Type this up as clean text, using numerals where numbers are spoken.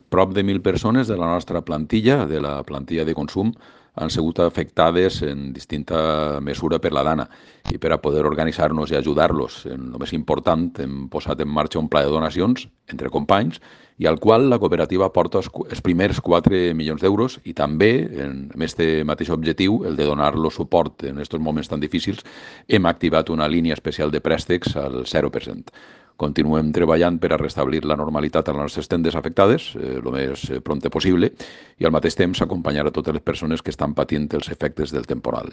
Prop de 1.000 persones de la nostra plantilla, de la plantilla de consum, han sigut afectades en distinta mesura per la Dana i per a poder organitzar-nos i ajudar-los. En el més important, hem posat en marxa un pla de donacions entre companys i al qual la cooperativa aporta els primers 4 milions d'euros i també, amb aquest mateix objectiu, el de donar-los suport en aquests moments tan difícils, hem activat una línia especial de préstecs al 0%. Continuem treballant per a restablir la normalitat a les nostres tendes afectades el més prompte possible i al mateix temps acompanyar a totes les persones que estan patint els efectes del temporal.